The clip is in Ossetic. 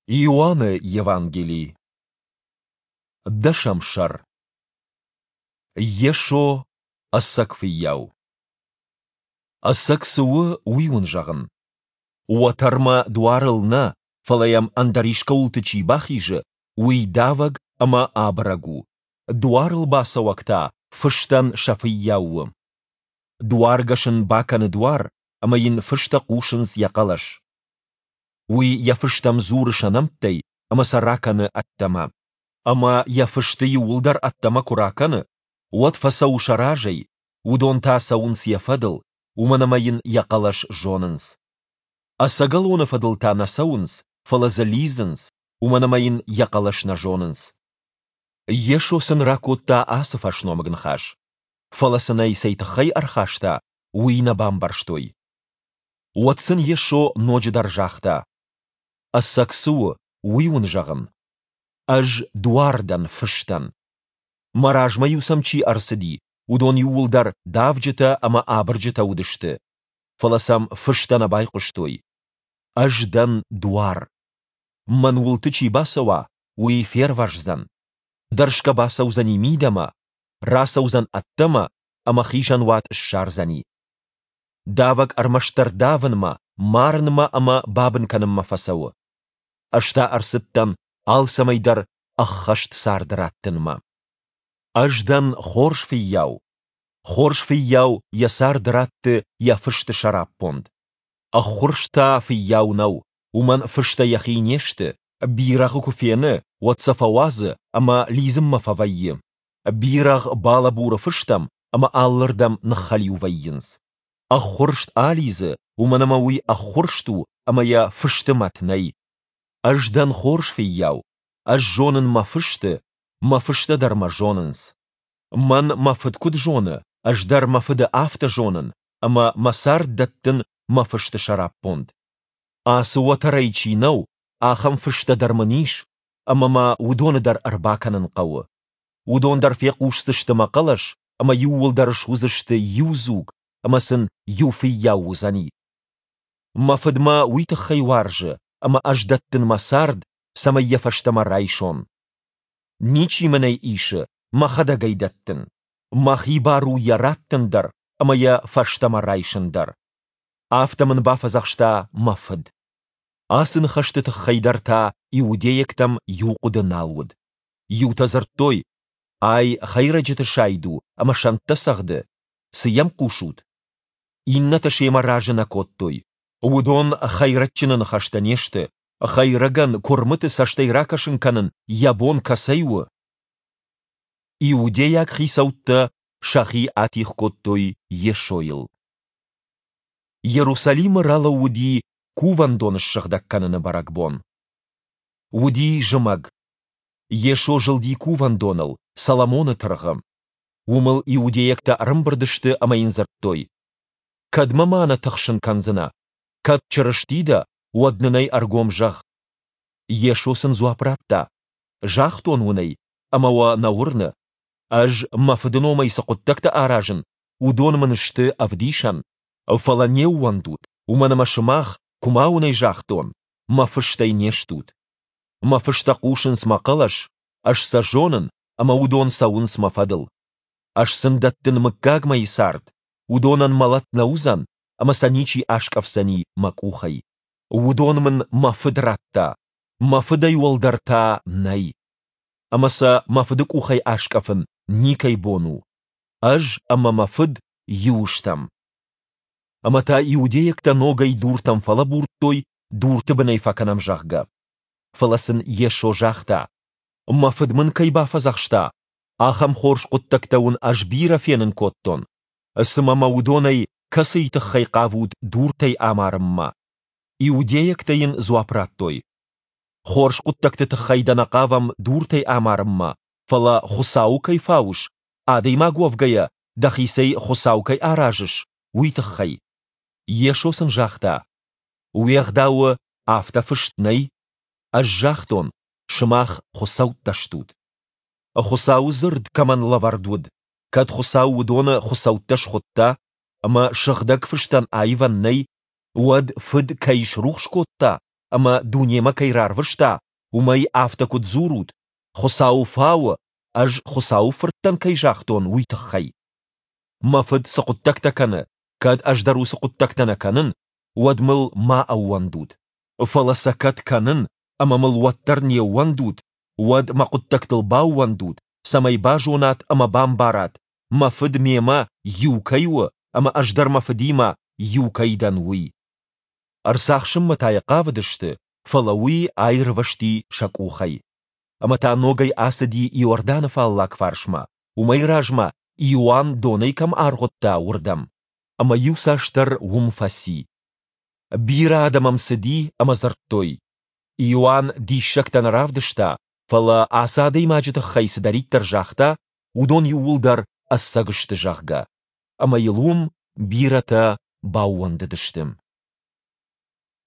Иоанны Евангели, дӕсӕм сӕр. Йесо ӕцӕг фыййау. Ӕцӕг цы у, уый уын зӕгъын. Уӕтӕрмӕ дуарыл нӕ, фӕлӕ йӕм ӕндӕр искӕуылты чи бахизы, уый давӕг ӕмӕ абырӕг у, дуарыл бацӕуӕг та фыстӕн сӕ фыййау у. Дуаргӕс ын бакӕны дуар, ӕмӕ йын фыстӕ хъусынц йӕ хъӕлӕс. Уый йӕ фыстӕм дзуры сӕ нӕмттӕй ӕмӕ сӕ ракӕны ӕддӕмӕ. Ӕмӕ йӕ фысты иууылдӕр ӕддӕмӕ куы ракӕны, уӕд фӕцӕуы сӕ разӕй, уыдон та цӕуынц йӕ фӕдыл, уымӕн ӕмӕ йын йӕ хъӕлӕс зонынц. Ӕцӕгӕлоны фӕдыл та нӕ цӕуынц, фӕлӕ дзы лидзынц, уымӕн ӕмӕ йын йӕ хъӕлӕс нӕ зонынц. Йесо сын ракодта ацы фӕсномыг ныхас, фӕлӕ сын ӕй цӕй тыххӕй ӕрхаста, уый нӕ бамбӕрстой. Уӕд сын Йесо ноджыдӕр загъта: Ӕцӕг цы у, уый уын зӕгъын. Ӕз дуар дӕн фыстӕн. Мӕ размӕ-иу сӕм чи ӕрцыди, уыдон иууылдӕр давджытӕ ӕмӕ абырджытӕ уыдысты, фӕлӕ сӕм фыстӕ нӕ байхъуыстой. Ӕз дӕн дуар. Мӕн уылты чи бацӕуа, уый фервӕздзӕн. Дӕрсгӕ бацӕудзӕни мидӕмӕ, рацӕудзӕн ӕддӕмӕ ӕмӕ хизӕнуат ссардзӕни. Давӕг ӕрмӕстдӕр давынмӕ, марынмӕ ӕмӕ бабын кӕнынмӕ фӕцӕуы. Ӕз та ӕрцыдтӕн алцӕмӕй дӕр ӕххӕст цард раттынмӕ. Ӕз дӕн хорз фыййау. Хорз фыййау йӕ цард ратты йӕ фысты сӕраппонд. Ӕххуырст та фыййау нӕу, уымӕн фыстӕ йӕхи не сты, бирӕгъы куы фены, уӕд сӕ фӕуадзы ӕмӕ лидзынмӕ фӕвӕййы. Бирӕгъ балӕбуры фыстӕм ӕмӕ алырдӕм ныххӕлиу вӕййынц. Ӕххуырст алидзы, уымӕн ӕмӕ уый ӕххуырст у ӕмӕ йӕ фысты мӕт нӕй. Ӕз дӕн хорз фыййау, ӕз зонын мӕ фысты, мӕ фыстӕ дӕр мӕ зонынц. Мӕн мӕ фыд куыд зоны, ӕз дӕр мӕ фыды афтӕ зонын ӕмӕ мӕ цард дӕттын мӕ фысты сӕраппонд. Ацы уӕтӕрӕй чи нӕу, ахӕм фыстӕ дӕр мын ис, ӕмӕ мӕ уыдоны дӕр ӕрбакӕнын хъӕуы. Уыдон дӕр фехъусдзысты мӕ хъӕлӕс ӕмӕ иууылдӕр суыдзысты иу дзуг ӕмӕ сын иу фыййау уыдзӕни. Мӕ фыд мӕ уый тыххӕй уарзы, ӕмӕ ӕз дӕттын мӕ цард, цӕмӕй йӕ фӕстӕмӕ райсон. Ничи мын ӕй исы, мӕхӕдӕг ӕй дӕттын. Мӕхи бар у йӕ раттын дӕр ӕмӕ йӕ фӕстӕмӕ райсын дӕр. Афтӕ мын бафӕдзӕхста мӕ фыд. Ацы ныхӕсты тыххӕй дӕр та иудейӕгтӕм иу хъуыды нал уыд. Иутӕ дзырдтой, ай хӕйрӕджыты сайд у ӕмӕ сӕнттӕ цӕгъды, цы йӕм хъусут? Иннӕтӕ семӕ разы нӕ кодтой. Уыдон хӕйрӕджджыны ныхӕстӕ не сты, хӕйрӕгӕн куырмыты цӕстӕй ракӕсын кӕнын йӕ бон кӕцӕй у? Иудейаг хицӕуттӕ сӕхи атигъ кодтой Йесойыл. Иерусалимы ралӕууыди кувӕндон ссыгъдӕг кӕныны бӕрӕгбон. Уыди зымӕг. Йесо зылди кувӕндоныл, Соломоны тыргъы. Уым ыл иудейӕгтӕ ӕрӕмбырд сты ӕмӕ йын дзырдтой: Кӕдмӕ ма нӕ тыхсын кӕндзынӕ? Кӕд Чырысти дӕ, уӕд нын ӕй ӕргом зӕгъ. Йесо сын дзуапп радта: Загътон уын ӕй, ӕмӕ уӕ нӕ уырны. Ӕз мӕ Фыды номӕй цы хъуыддӕгтӕ аразын, уыдон мын сты ӕвдисӕн. Фӕлӕ не ууӕндут, уымӕн ӕмӕ сымах, куы ма уын ӕй загътон, мӕ фыстӕй не стут. Мӕ фыстӕ хъусынц мӕ хъӕлӕс, ӕз сӕ зонын, ӕмӕ уыдон цӕуынц мӕ фӕдыл. Ӕз сын дӕттын мыггагмӕйы цард, уыдонӕн мӕлӕт нӕ уыдзӕн, ӕмӕ сӕ ничи аскъӕфдзӕни мӕ къухӕй. Уыдон мын мӕ Фыд радта, мӕ Фыдӕй уӕлдӕр та нӕй. Ӕмӕ сӕ мӕ Фыды къухӕй аскъӕфын никӕй бон у. Ӕз ӕмӕ мӕ Фыд иу стӕм. Ӕмӕ та иудейӕгтӕ ногӕй дуртӕм фӕлӕбурдтой, дурты бын ӕй фӕкӕнӕм, зӕгъгӕ. Фӕлӕ сын Йесо загъта: Мӕ Фыд мын кӕй бафӕдзӕхста, ахӕм хорз хъуыддӕгтӕ уын ӕз бирӕ фенын кодтон. Цымӕ мӕ уыдонӕй кӕцыйы тыххӕй хъавут дуртӕй амарынмӕ? Иудейӕгтӕ йын дзуапп радтой: Хорз хъуыддӕгты тыххӕй дӕ нӕ хъавӕм дуртӕй амарынмӕ, фӕлӕ Хуыцауы кӕй фауыс, адӕймаг уӕвгӕйӕ дӕхицӕй Хуыцау кӕй аразыс, уый тыххӕй. Йесо сын загъта: Уе гъдауы афтӕ фыст нӕй? Ӕз загътон, сымах хуыцӕуттӕ стут. Хуыцауы дзырд кӕмӕн лӕвӕрд уыд, кӕд Хуыцау уыдоны хуыцӕуттӕ схуыдта, ӕмӕ сыгъдӕг фыстӕн аивӕн нӕй, уӕд Фыд кӕй срухс кодта ӕмӕ дунемӕ кӕй рарвыста, уымӕй афтӕ куыд дзурут, Хуыцауы фауы, ӕз Хуыцауы Фырт дӕн кӕй загътон, уый тыххӕй? Мӕ Фыд цы хъуыддӕгтӕ кӕны, кӕд ӕз дӕр уыцы хъуыддӕгтӕ нӕ кӕнын, уӕд мыл ма ӕууӕндут. Фӕлӕ сӕ кӕд кӕнын, ӕмӕ мыл уӕддӕр не ууӕндут, уӕд мӕ хъуыддӕгтыл баууӕндут, цӕмӕй базонат ӕмӕ бамбарат, мӕ Фыд мемӕ иу кӕй у ӕмӕ ӕз дӕр мӕ Фыдимӕ иу кӕй дӕн, уый. Ӕрцахсынмӕ та йӕ хъавыдысты, фӕлӕ уый аирвӕзти сӕ къухӕй. Ӕмӕ та ногӕй ацыди Иорданы фаллаг фарсмӕ, уымӕй размӕ Иоанн донӕй кӕм аргъуыдта, уырдӕм. Ӕмӕ иуцасдӕр уым фӕци. Бирӕ адӕм ӕм цыди ӕмӕ дзырдтой, Иоанн диссӕгтӕ нӕ равдыста, фӕлӕ ацы адӕймаджы тыххӕй цыдӕриддӕр загъта, уыдон иууылдӕр ӕцӕг сты, зӕгъгӕ. Ӕмӕ йыл уым бирӕтӕ баууӕндыдысты.